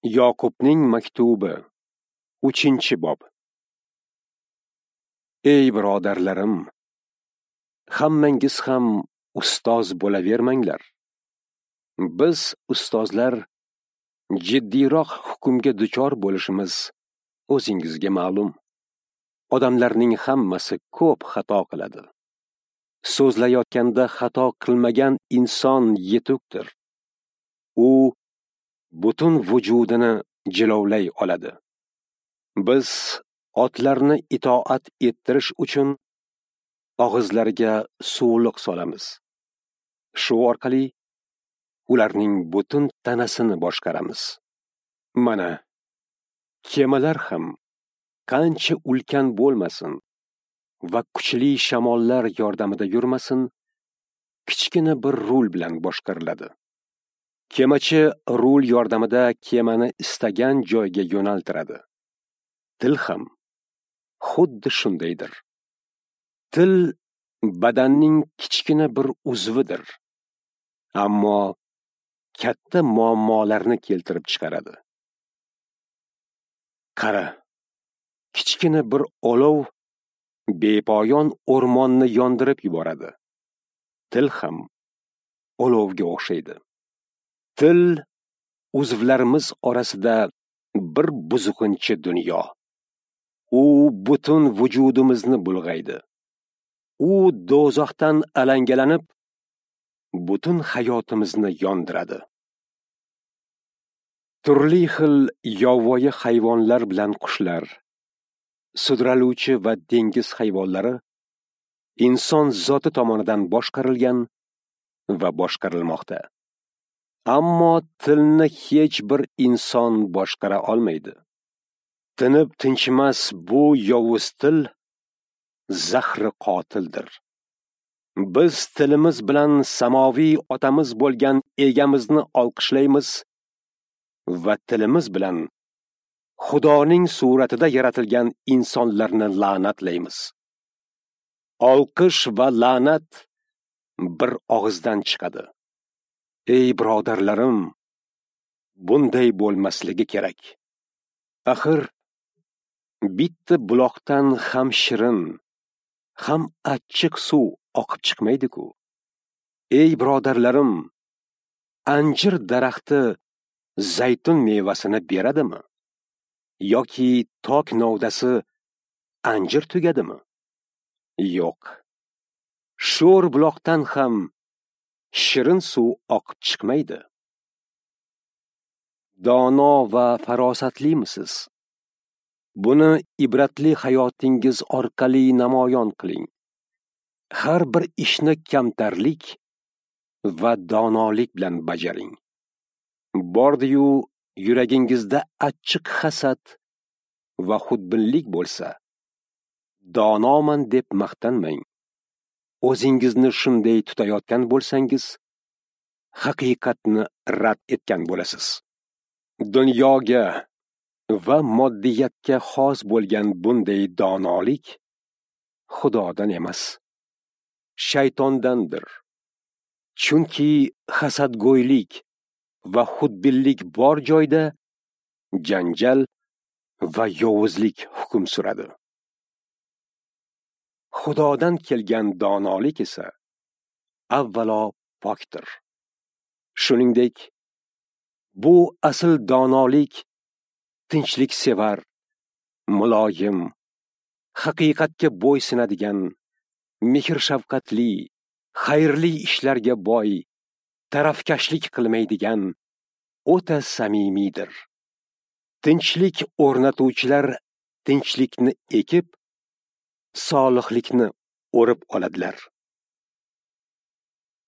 Yoqubning maktubi, 3-bob. Ey birodarlarim, hammangiz ham ustoz bo'lavermanglar. Biz ustozlar jiddiyroq hukmga duchor bo'lishimiz o'zingizga ma'lum. Odamlarning hammasi ko'p xato qiladi. So'zlayotganda xato qilmagan inson yetukdir. U butun vujudini jilovlay oladi. Biz otlarni itoat ettirish uchun og'izlariga suvliq solamiz. Shu orqali ularning butun tanasini boshqaramiz. Mana kemalar ham qancha ulkan bo'lmasin va kuchli shamollar yordamida yurmasin, kichkina bir rul bilan boshqariladi. Kemachi rul yordamida kemani istagan joyga yo'naltiradi. Til ham xuddi shundaydir. Til badanning kichkina bir uzvidir, ammo katta muammolarni keltirib chiqaradi. Qara, kichkina bir olov bepoyon o'rmonni yondirib yuboradi. Til ham olovga o'xshaydi. Til uzvlarimiz orasida bir buzg'unchi dunyo. U butun vujudimizni bulg'aydi. U do'zaxdan alangalanib, butun hayotimizni yondiradi. Turli xil yovvoyi hayvonlar bilan qushlar, sudraluvchi va dengiz hayvonlari inson zoti tomonidan boshqarilgan va boshqarilmoqda. Ammo tilni hech bir inson boshqara olmaydi. Tinib tinchimas bu yovuz til zahri qotildir. Biz tilimiz bilan samoviy otamiz bo'lgan egamizni olqishlaymiz va tilimiz bilan Xudoning suratida yaratilgan insonlarni la'natlaymiz. Olqish va la'nat bir og'izdan chiqadi. Ey birodarlarim, bunday bo'lmasligi kerak. Axir bitta buloqdan ham shirin, ham achchiq suv oqib chiqmaydi-ku. Ey birodarlarim, anjir daraxti zaytun mevasini beradimi? Yoki tok novdasi anjir tugadimi? Yo'q. Sho'r buloqdan ham shirin suv oqib chiqmaydi. Dono va farosatlимisiz? Buni ibratli hayotingiz orqali namoyon qiling. Har bir ishni kamtarlik va donolik bilan bajaring. Bordi-yu yuragingizda achchiq hasad va xudbinlik bo'lsa, donoman deb maqtanmang. O'zingizni shunday tutayotgan bo'lsangiz, haqiqatni rad etgan bo'lasiz. Dunyoga va moddiyatga xos bo'lgan bunday donolik Xudodan emas, shaytondandir. Chunki hasadgo'ylik va xudbinlik bor joyda janjal va yovuzlik hukm suradi. Xudodan kelgan donolik esa avvalo pokdir. Shuningdek, bu asl donolik tinchliksevar, muloyim, haqiqatga bo'ysunadigan, mehr-shafqatli, xayrli ishlarga boy, tarafkashlik qilmaydigan, o'ta samimiydir. Tinchlik o'rnatuvchilar tinchlikni ekib, solihlikni o'rib oladilar.